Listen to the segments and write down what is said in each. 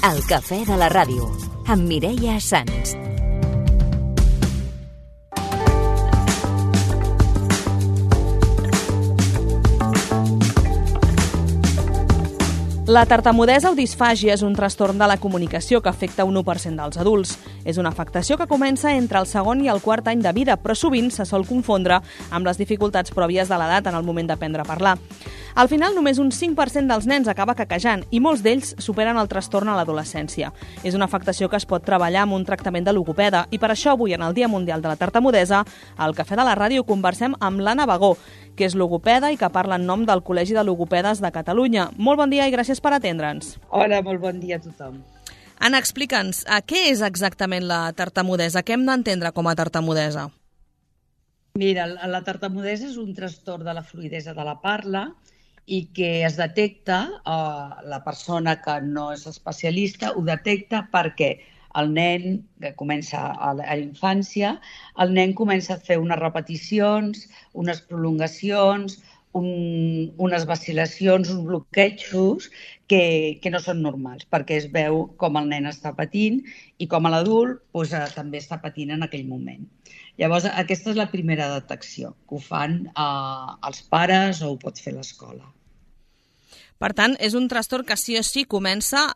El cafè de la ràdio, amb Mireia Sans. La tartamudesa o disfàgia és un trastorn de la comunicació que afecta un 1% dels adults. És una afectació que comença entre el segon i el quart any de vida, però sovint se sol confondre amb les dificultats pròpies de l'edat en el moment d'aprendre a parlar. Al final, només un 5% dels nens acaba quequejant i molts d'ells superen el trastorn a l'adolescència. És una afectació que es pot treballar amb un tractament de logopeda i per això avui, en el Dia Mundial de la Tartamudesa, al Cafè de la Ràdio conversem amb l'Anna Bagó, que és logopeda i que parla en nom del Col·legi de Logopedes de Catalunya. Molt bon dia i gràcies per atendre'ns. Hola, molt bon dia a tothom. Anna, explica'ns, què és exactament la tartamudesa? Què hem d'entendre com a tartamudesa? Mira, la tartamudesa és un trastorn de la fluïdesa de la parla i que es detecta, la persona que no és especialista ho detecta perquè el nen, que comença a la infància, el nen comença a fer unes repeticions, unes prolongacions, unes vacil·lacions, uns bloquejos que no són normals, perquè es veu com el nen està patint i com l'adult també està patint en aquell moment. Llavors, aquesta és la primera detecció, que ho fan els pares o ho pot fer l'escola. Per tant, és un trastorn que sí o sí comença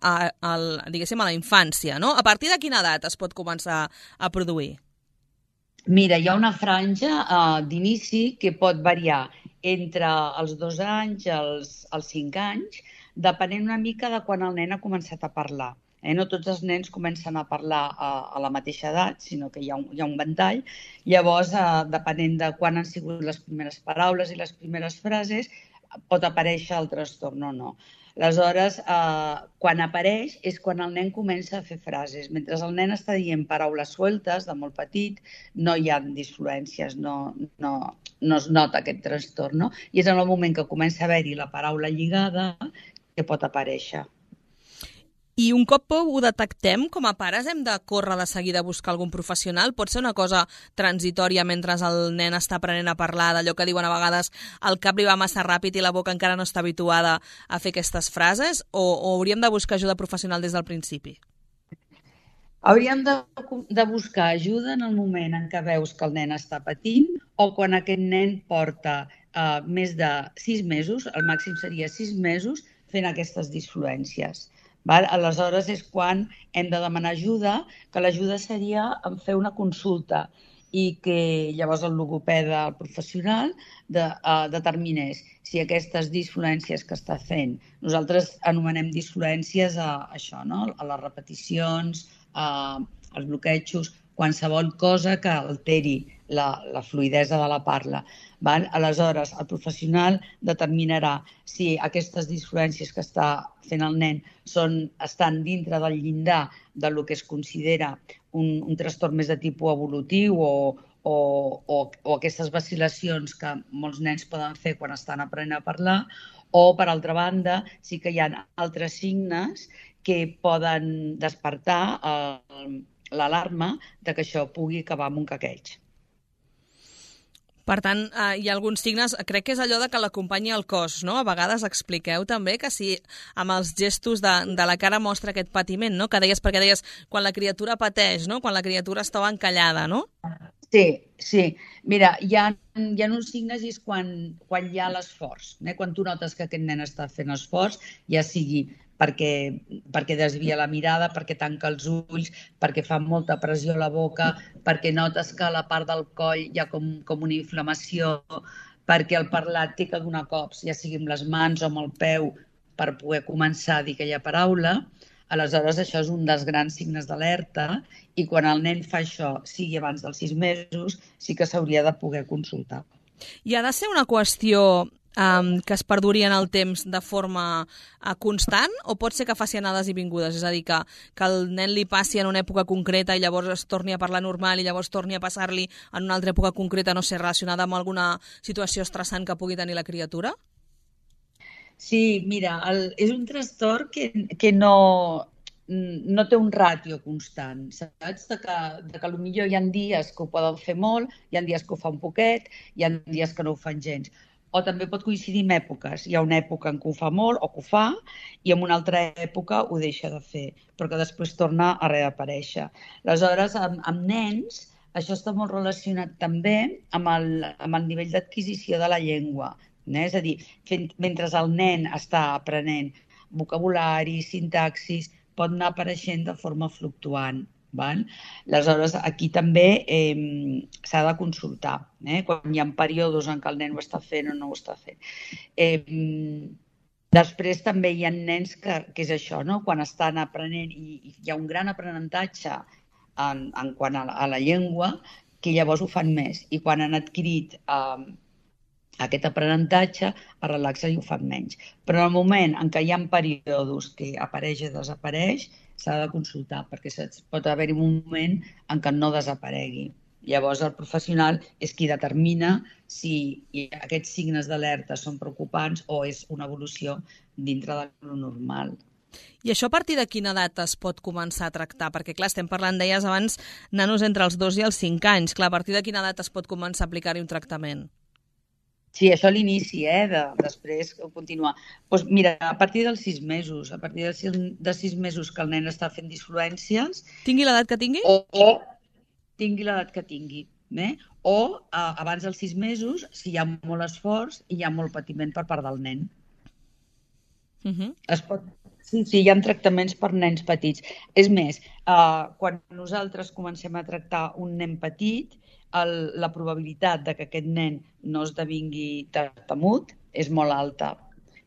diguéssim, a la infància, no? A partir de quina edat es pot començar a produir? Mira, hi ha una franja d'inici que pot variar entre els 2 anys i els 5 anys, depenent una mica de quan el nen ha començat a parlar. No tots els nens comencen a parlar a la mateixa edat, sinó que hi ha un ventall. Llavors, depenent de quan han sigut les primeres paraules i les primeres frases, pot aparèixer el trastorn o no. Aleshores, quan apareix és quan el nen comença a fer frases. Mentre el nen està dient paraules sueltes, de molt petit, no hi ha disfluències, no es nota aquest trastorn, no? I és en el moment que comença a haver-hi la paraula lligada que pot aparèixer. I un cop ho detectem, com a pares hem de córrer de seguida a buscar algun professional? Pot ser una cosa transitòria mentre el nen està aprenent a parlar, d'allò que diuen a vegades el cap li va massa ràpid i la boca encara no està habituada a fer aquestes frases, o hauríem de buscar ajuda professional des del principi? Hauríem de buscar ajuda en el moment en què veus que el nen està patint o quan aquest nen porta més de 6 mesos, el màxim seria 6 mesos, fent aquestes disfluències. Aleshores és quan hem de demanar ajuda, que l'ajuda seria en fer una consulta i que llavors el logopeda, el professional, determinés si aquestes disfluències que està fent, nosaltres anomenem disfluències a això, no? A les repeticions, als bloquejos, qualsevol cosa que alteri la fluïdesa de la parla. Aleshores, el professional determinarà si aquestes disfluències que està fent el nen estan dintre del llindar del que es considera un trastorn més de tipus evolutiu o aquestes vacil·lacions que molts nens poden fer quan estan aprenent a parlar, o, per altra banda, sí que hi ha altres signes que poden despertar l'alarma que això pugui acabar amb un quequeig. Per tant, hi ha alguns signes, crec que és allò de que l'acompanyi el cos, no? A vegades expliqueu també que si amb els gestos de la cara mostra aquest patiment, no? Perquè deies quan la criatura pateix, no? Quan la criatura estava encallada, no? Sí. Mira, hi ha uns signes i és quan hi ha l'esforç. Quan tu notes que aquest nen està fent esforç, ja sigui perquè desvia la mirada, perquè tanca els ulls, perquè fa molta pressió a la boca, perquè notes que a la part del coll hi ha com una inflamació, perquè el parlat té que donar cops, ja sigui amb les mans o amb el peu, per poder començar a dir aquella paraula. Aleshores, això és un dels grans signes d'alerta i quan el nen fa això, sigui abans dels 6 mesos, sí que s'hauria de poder consultar. I ha de ser una qüestió que es perduri en el temps de forma constant o pot ser que faci anades i vingudes? És a dir, que el nen li passi en una època concreta i llavors es torni a parlar normal i llavors torni a passar-li en una altra època concreta, no sé, relacionada amb alguna situació estressant que pugui tenir la criatura? Sí, mira, és un trastorn que no té un ràtio constant, saps? De que potser hi ha dies que ho poden fer molt, hi ha dies que ho fa un poquet, hi ha dies que no ho fan gens. o també pot coincidir amb èpoques. Hi ha una època en què ho fa molt o que ho fa i en una altra època ho deixa de fer, però que després torna a reaparèixer. Aleshores, amb nens, això està molt relacionat també amb el nivell d'adquisició de la llengua. És a dir, mentre el nen està aprenent vocabulari, sintaxis, pot anar apareixent de forma fluctuant. Aleshores, aquí també s'ha de consultar, quan hi ha períodes en què el nen ho està fent o no ho està fent. Després també hi ha nens que és això, quan estan aprenent i hi ha un gran aprenentatge en quant a la llengua, que llavors ho fan més. I quan han adquirit aquest aprenentatge, es relaxen i ho fan menys. Però en el moment en què hi ha períodes que apareix i desapareix, s'ha de consultar, perquè pot haver-hi un moment en què no desaparegui. Llavors el professional és qui determina si aquests signes d'alerta són preocupants o és una evolució dintre de lo normal. I això a partir de quina edat es pot començar a tractar? Perquè, clar, estem parlant, deies abans, nanos entre els 2 i els 5 anys. Clar, a partir de quina edat es pot començar a aplicar-hi un tractament? Sí, això a l'inici, després continuar. Doncs mira, a partir dels 6 mesos, a partir de 6 mesos que el nen està fent disfluències... Tingui l'edat que tingui? O tingui l'edat que tingui. O abans dels 6 mesos, si hi ha molt esforç i hi ha molt patiment per part del nen. Sí, hi ha tractaments per nens petits. És més, quan nosaltres comencem a tractar un nen petit, la probabilitat de que aquest nen no esdevingui tartamut és molt alta,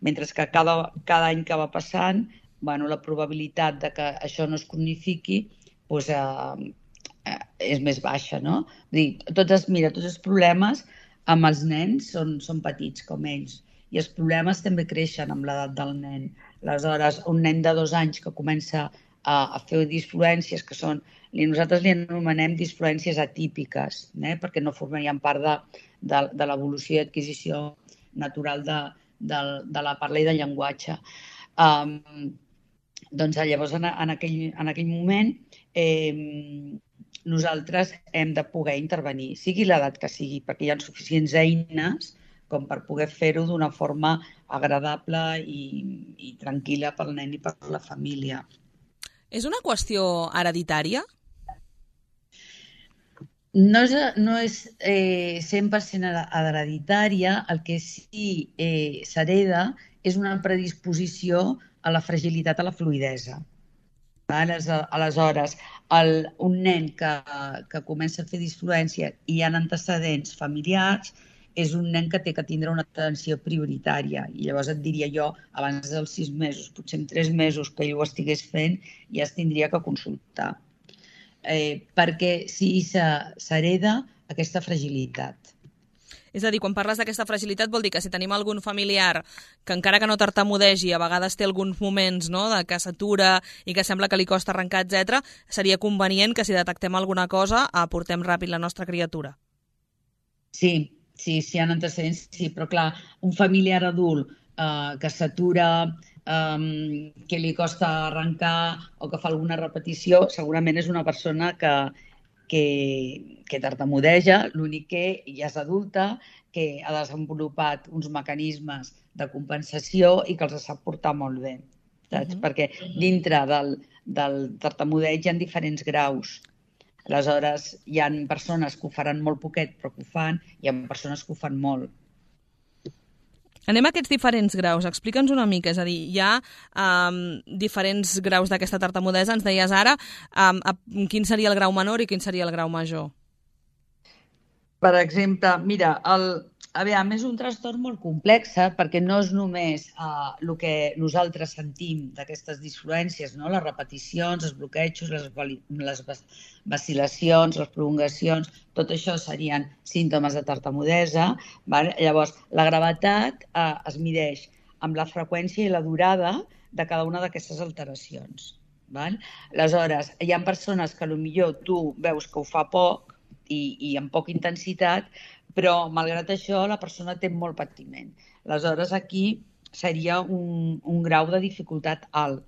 mentre que cada any que va passant, la probabilitat de que això no es cronifiqui és més baixa, no? Tots els problemes amb els nens són petits com ells i els problemes també creixen amb l'edat del nen. Aleshores, un nen de 2 anys que comença a fer disfluències que són, nosaltres li anomenem disfluències atípiques, perquè no formarien part de l'evolució i adquisició natural de la parla i del llenguatge. Doncs llavors, en aquell moment, nosaltres hem de poder intervenir, sigui l'edat que sigui, perquè hi ha suficients eines com per poder fer-ho d'una forma agradable i tranquil·la pel nen i per la família. És una qüestió hereditària? No és 100% hereditària, el que sí s'hereda és una predisposició a la fragilitat, a la fluïdesa. Aleshores, un nen que comença a fer disfluència i hi ha antecedents familiars és un nen que té que tindre una atenció prioritària. I llavors et diria jo, abans dels 6 mesos, potser en 3 mesos que ell ho estigués fent, ja es tindria que consultar. Perquè sí s'hereda aquesta fragilitat. És a dir, quan parles d'aquesta fragilitat vol dir que si tenim algun familiar que encara que no tartamudegi, a vegades té alguns moments que s'atura i que sembla que li costa arrencar, etc., seria convenient que si detectem alguna cosa aportem ràpid la nostra criatura. Sí, si hi ha antecedents, sí, però clar, un familiar adult que s'atura, que li costa arrencar o que fa alguna repetició, segurament és una persona que tartamudeja, l'únic que ja és adulta, que ha desenvolupat uns mecanismes de compensació i que els sap portar molt bé. Saps? Perquè dintre del tartamudeig hi ha diferents graus. Aleshores, hi ha persones que ho faran molt poquet, però que ho fan, i hi ha persones que ho fan molt. Anem a aquests diferents graus. Explica'ns una mica, és a dir, hi ha diferents graus d'aquesta tartamudesa. Ens deies ara quin seria el grau menor i quin seria el grau major. Per exemple, mira, és un trastorn molt complex perquè no és només el que nosaltres sentim d'aquestes disfluències, les repeticions, els bloquejos, les vacil·lacions, les prolongacions, tot això serien símptomes de tartamudesa. Llavors, la gravetat es mideix amb la freqüència i la durada de cada una d'aquestes alteracions. Aleshores, hi ha persones que potser tu veus que ho fa poc i amb poca intensitat, però, malgrat això, la persona té molt patiment. Aleshores, aquí seria un grau de dificultat alt,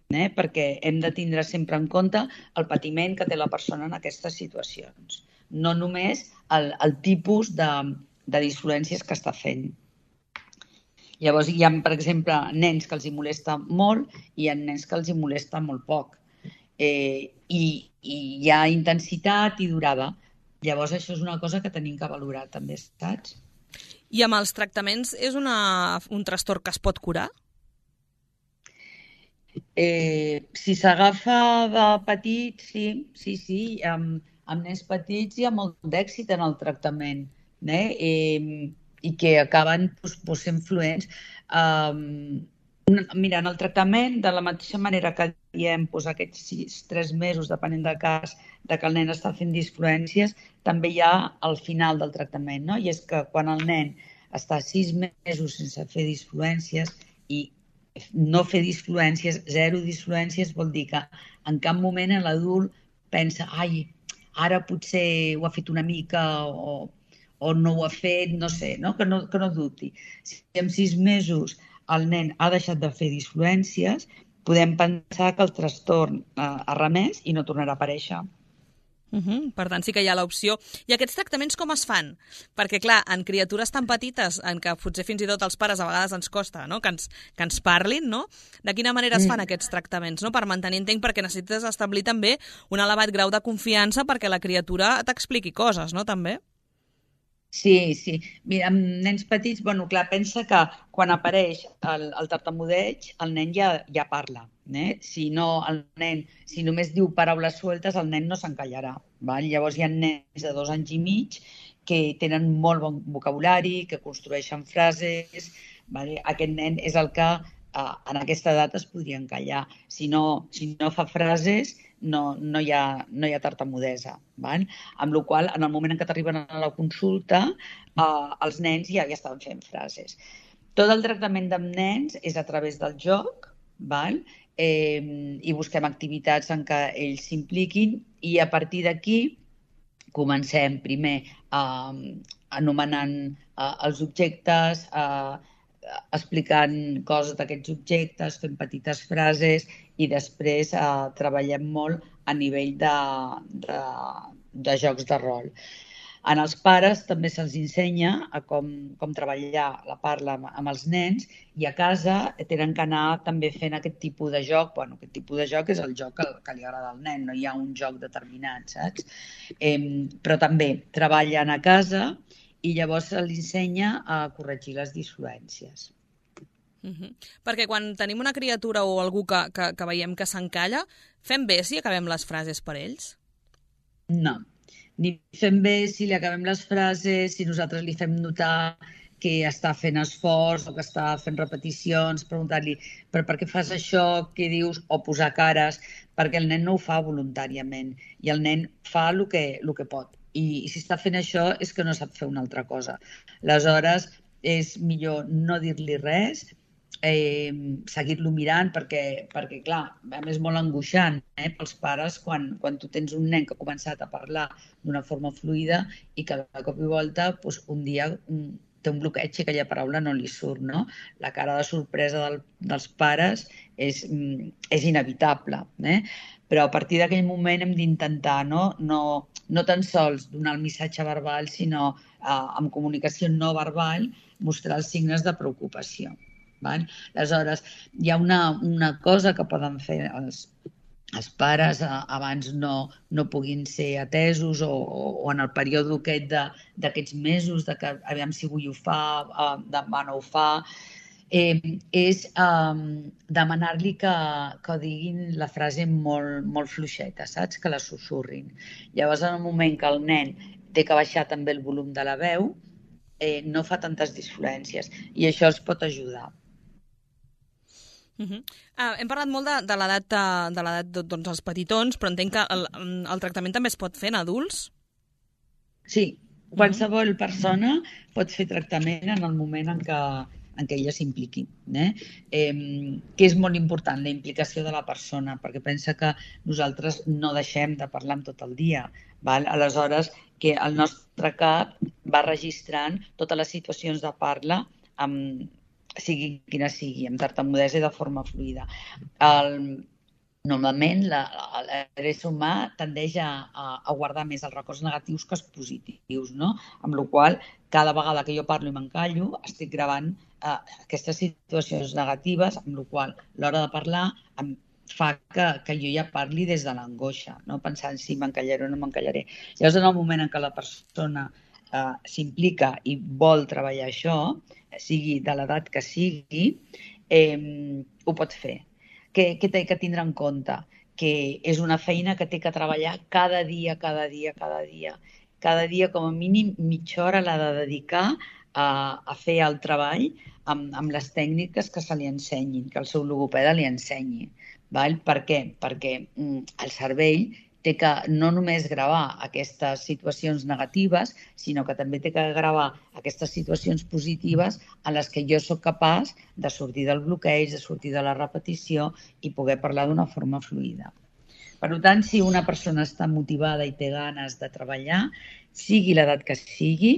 perquè hem de tindre sempre en compte el patiment que té la persona en aquestes situacions. No només el tipus de disfluències que està fent. Llavors hi ha, per exemple, nens que els hi molesta molt i hi ha nens que els hi molesta molt poc. I hi ha intensitat i durada. Llavors això és una cosa que tenim que valorar també, saps? I amb els tractaments és un trastorn que es pot curar? Si s'agafa de petit, sí. Amb nens petits hi ha molt d'èxit en el tractament, i que acaben sent fluents. Mira, en el tractament, de la mateixa manera que diem aquests 3 mesos, depenent del cas, de que el nen està fent disfluències, també hi ha al final del tractament, no? I és que quan el nen està 6 mesos sense fer disfluències i no fer disfluències, 0 disfluències, vol dir que en cap moment l'adult pensa ara potser ho ha fet una mica o no ho ha fet, no sé, no? Que no dubti. Si en 6 mesos el nen ha deixat de fer disfluències, podem pensar que el trastorn ha remès i no tornarà a aparèixer. Per tant, sí que hi ha l'opció. I aquests tractaments com es fan? Perquè, clar, en criatures tan petites, en què potser fins i tot els pares a vegades ens costa, no? que ens parlin, no? De quina manera es fan aquests tractaments? No? Per mantenir, entenc, perquè necessites establir també un elevat grau de confiança perquè la criatura t'expliqui coses, no? També? Sí. Mira, amb nens petits, clar, pensa que quan apareix el tartamudeig, el nen ja parla. Si només diu paraules sueltes, el nen no s'encallarà. Llavors hi ha nens de 2 anys i mig que tenen molt bon vocabulari, que construeixen frases. Aquest nen és el que en aquesta edat es podria encallar. Si no fa frases, no hi ha tartamudesa. Amb la qual cosa, en el moment en què t'arriben a la consulta, els nens ja estan fent frases. Tot el tractament amb nens és a través del joc, i busquem activitats en què ells s'impliquin i a partir d'aquí comencem primer anomenant els objectes, explicant coses d'aquests objectes, fent petites frases i després treballem molt a nivell de jocs de rol. En els pares també se'ls ensenya a com treballar la parla amb els nens i a casa tenen que anar també fent aquest tipus de joc. Aquest tipus de joc és el joc que li agrada al nen, no hi ha un joc determinat, saps? Però també treballen a casa i llavors se li ensenya a corregir les disfluències. Perquè quan tenim una criatura o algú que veiem que s'encalla, fem bé si acabem les frases per ells? No, ni fem bé si li acabem les frases, si nosaltres li fem notar que està fent esforç o que està fent repeticions, preguntar-li però per què fas això, què dius, o posar cares, perquè el nen no ho fa voluntàriament i el nen fa el que pot. I si està fent això és que no sap fer una altra cosa. Aleshores, és millor no dir-li res, seguir-lo mirant perquè clar, és molt angoixant pels pares quan tu tens un nen que ha començat a parlar d'una forma fluida i que de cop i volta un dia té un bloqueig i aquella paraula no li surt, no? La cara de sorpresa dels pares és inevitable, però a partir d'aquell moment hem d'intentar no tan sols donar el missatge verbal, sinó amb comunicació no verbal mostrar els signes de preocupació. Aleshores, hi ha una cosa que poden fer els pares abans no puguin ser atesos o en el període d'aquests mesos de que aviam si avui ho fa, demà no ho fa, és demanar-li que diguin la frase molt fluixeta, saps? Que la sussurrin. Llavors, en el moment que el nen té que baixar també el volum de la veu, no fa tantes disfluències i això els pot ajudar. Hem parlat molt de l'edat dels petitons, però entenc que el tractament també es pot fer en adults? Sí, qualsevol persona pot fer tractament en el moment en què ella s'impliqui, que és molt important, la implicació de la persona, perquè pensa que nosaltres no deixem de parlar amb tot el dia. Aleshores, que el nostre cap va registrant totes les situacions de parla sigui quina sigui, amb tartamudesa i de forma fluida. Normalment l'ésser humà tendeix a guardar més els records negatius que els positius, no? Amb la qual cosa, cada vegada que jo parlo i m'encallo, estic gravant aquestes situacions negatives, amb la qual cosa, l'hora de parlar em fa que jo ja parli des de l'angoixa, no? Pensant si m'encallaré o no m'encallaré. Llavors, en el moment en què la persona s'implica i vol treballar això, sigui de l'edat que sigui, ho pot fer. Què té que tindre en compte? Que és una feina que té que treballar cada dia. Cada dia, com a mínim, mitja hora l'ha de dedicar a fer el treball amb les tècniques que se li ensenyin, que el seu logopeda li ensenyi. Val? Per què? Perquè el cervell té que no només gravar aquestes situacions negatives, sinó que també té que gravar aquestes situacions positives en les que jo sóc capaç de sortir del bloqueig, de sortir de la repetició i poder parlar d'una forma fluida. Per tant, si una persona està motivada i té ganes de treballar, sigui l'edat que sigui,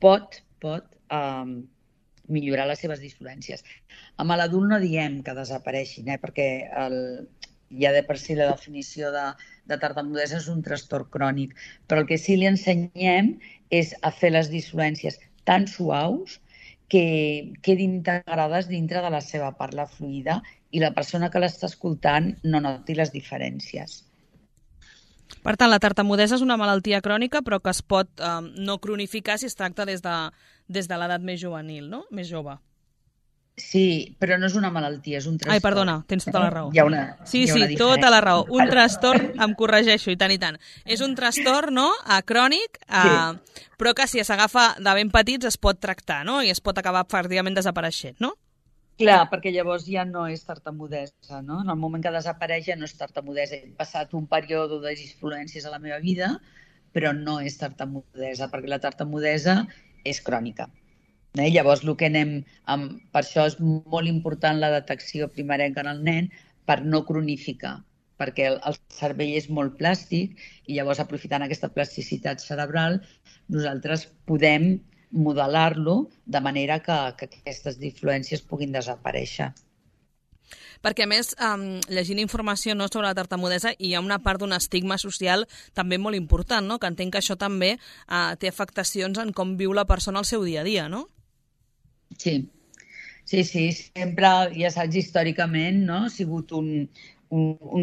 pot millorar les seves disfluències. Amb l'adult no diem que desapareixin, perquè ja de per si la definició de tartamudesa és un trastorn crònic, però el que sí li ensenyem és a fer les disfluències tan suaus que quedin integrades dintre de la seva parla fluida i la persona que l'està escoltant no noti les diferències. Per tant, la tartamudesa és una malaltia crònica però que es pot no cronificar si es tracta des de l'edat més juvenil, no? Més jove. Sí, però no és una malaltia, és un trastorn. Ai, perdona, tens tota la raó. Hi ha una tota la raó. Un trastorn, em corregeixo, i tant. És un trastorn, no?, crònic, però que si s'agafa de ben petits es pot tractar, no?, i es pot acabar pràcticament desapareixent, no? Clar, perquè llavors ja no és tartamudesa, no? En el moment que desapareix ja no és tartamudesa. He passat un període de disfluències a la meva vida, però no és tartamudesa, perquè la tartamudesa és crònica. Llavors, per això és molt important la detecció primerenca en el nen per no cronificar, perquè el cervell és molt plàstic i llavors, aprofitant aquesta plasticitat cerebral, nosaltres podem modelar-lo de manera que aquestes disfluències puguin desaparèixer. Perquè, a més, llegint informació sobre la tartamudesa, hi ha una part d'un estigma social també molt important, no?, que entenc que això també té afectacions en com viu la persona al seu dia a dia, no? Sí, sempre, ja saps, històricament, no? Ha sigut un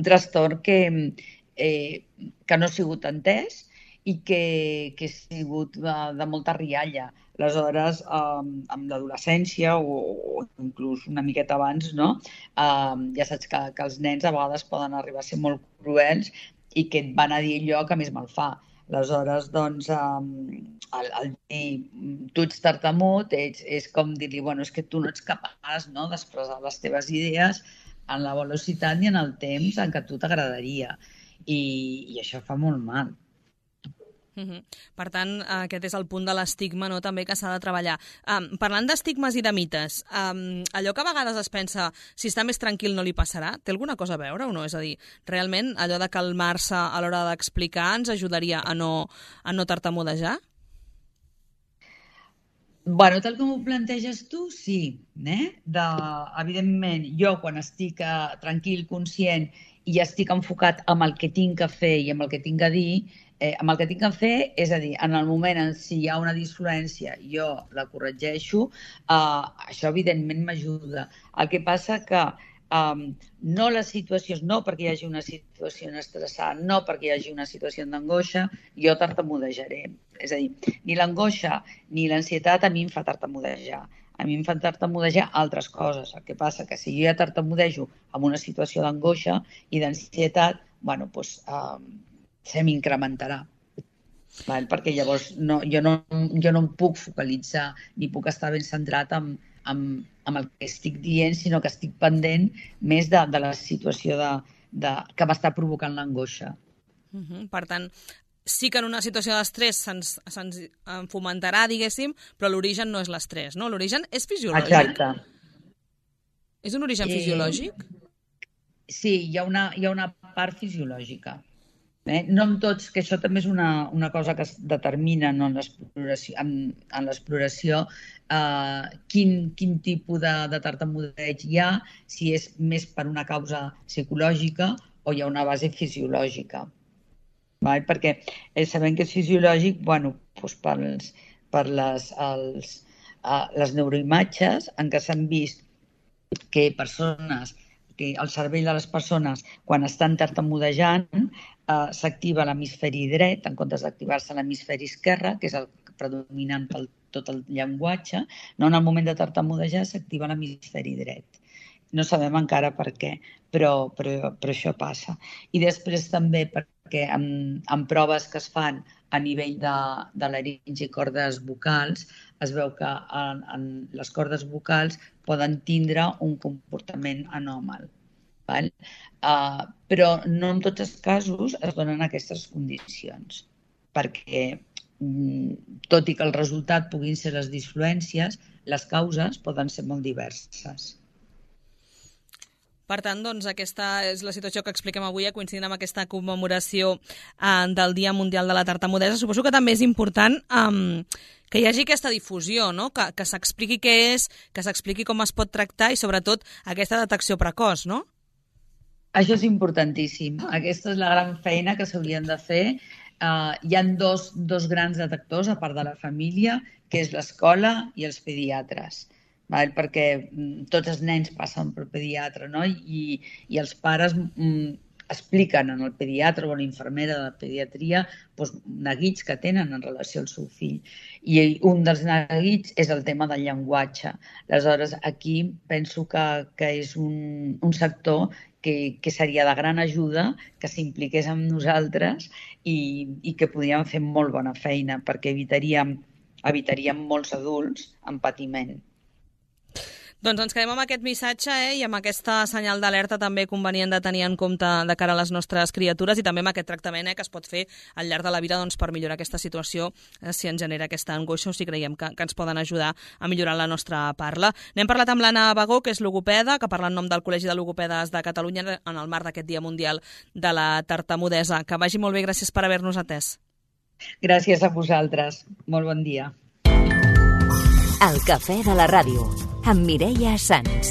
trastorn que no ha sigut entès i que ha sigut de molta rialla. Aleshores, amb l'adolescència o inclús una miqueta abans, no? Ja saps que els nens a vegades poden arribar a ser molt cruels i que et van a dir allò que més mal fa. Aleshores, doncs, el dir tu ets tartamut és com dir-li, bueno, és que tu no ets capaç, no?, d'expressar les teves idees en la velocitat ni en el temps en què a tu t'agradaria. I això fa molt mal. Per tant, aquest és el punt de l'estigma, no?, també que s'ha de treballar. Parlant d'estigmes i de mites, allò que a vegades es pensa si està més tranquil no li passarà, té alguna cosa a veure o no? És a dir, realment allò de calmar-se a l'hora d'explicar ens ajudaria a no tartamudejar? Bueno, tal com ho planteges tu, sí. Evidentment, jo quan estic tranquil, conscient i estic enfocat amb el que tinc a fer i amb el que tinc a dir, amb el que tinc a fer, és a dir, en el moment en si hi ha una disfluència, jo la corregeixo, això evidentment m'ajuda. El que passa que no les situacions, no perquè hi hagi una situació estressant, no perquè hi hagi una situació d'angoixa, jo tartamudejaré. És a dir, ni l'angoixa ni l'ansietat a mi em fa tartamudejar. A mi em fan tartamudejar altres coses. El que passa que si jo ja tartamudejo en una situació d'angoixa i d'ansietat, bueno, doncs se m'incrementarà. Perquè llavors jo no em puc focalitzar ni puc estar ben centrat amb el que estic dient, sinó que estic pendent més de la situació que m'està provocant l'angoixa. Per tant, sí que en una situació d'estrès se'ns fomentarà, diguéssim, però l'origen no és l'estrès, no? L'origen és fisiològic. Exacte. És un origen fisiològic? Sí, hi ha una part fisiològica. No amb tots, que això també és una cosa que es determina en l'exploració, quin tipus de tartamudeig hi ha, si és més per una causa psicològica o hi ha una base fisiològica. Perquè sabem que és fisiològic, doncs per les neuroimatges en què s'han vist que el cervell de les persones, quan estan tartamudejant, s'activa l'hemisferi dret en comptes d'activar-se l'hemisferi esquerre, que és el predominant per tot el llenguatge. En el moment de tartamudejar s'activa l'hemisferi dret. No sabem encara per què, però això passa. I després també perquè en proves que es fan a nivell de laringe i cordes vocals, es veu que les cordes vocals poden tindre un comportament anòmal. Però no en tots els casos es donen aquestes condicions, perquè tot i que el resultat puguin ser les disfluències, les causes poden ser molt diverses. Per tant, doncs, aquesta és la situació que expliquem avui, coincidint amb aquesta commemoració del Dia Mundial de la Tartamudesa. Suposo que també és important que hi hagi aquesta difusió, no? Que s'expliqui què és, que s'expliqui com es pot tractar i, sobretot, aquesta detecció precoç, no? Això és importantíssim. Aquesta és la gran feina que s'haurien de fer. Hi ha dos grans detectors, a part de la família, que és l'escola i els pediatres. Perquè tots els nens passen per pediatre, no? I els pares expliquen al pediatre o a l'infermera de la pediatria neguits que tenen en relació al seu fill. I un dels neguits és el tema del llenguatge. Aleshores, aquí penso que és un sector que seria de gran ajuda, que s'impliqués amb nosaltres i que podríem fer molt bona feina, perquè evitaríem molts adults en patiment. Doncs ens quedem amb aquest missatge i amb aquesta senyal d'alerta també convenient de tenir en compte de cara a les nostres criatures i també amb aquest tractament que es pot fer al llarg de la vida per millorar aquesta situació si ens genera aquesta angoixa o si creiem que ens poden ajudar a millorar la nostra parla. N'hem parlat amb l'Anna Bagó, que és logopeda, que parla en nom del Col·legi de Logopedes de Catalunya en el marc d'aquest Dia Mundial de la Tartamudesa. Que vagi molt bé, gràcies per haver-nos atès. Gràcies a vosaltres. Molt bon dia. El cafè de la ràdio, amb Mireia Sans.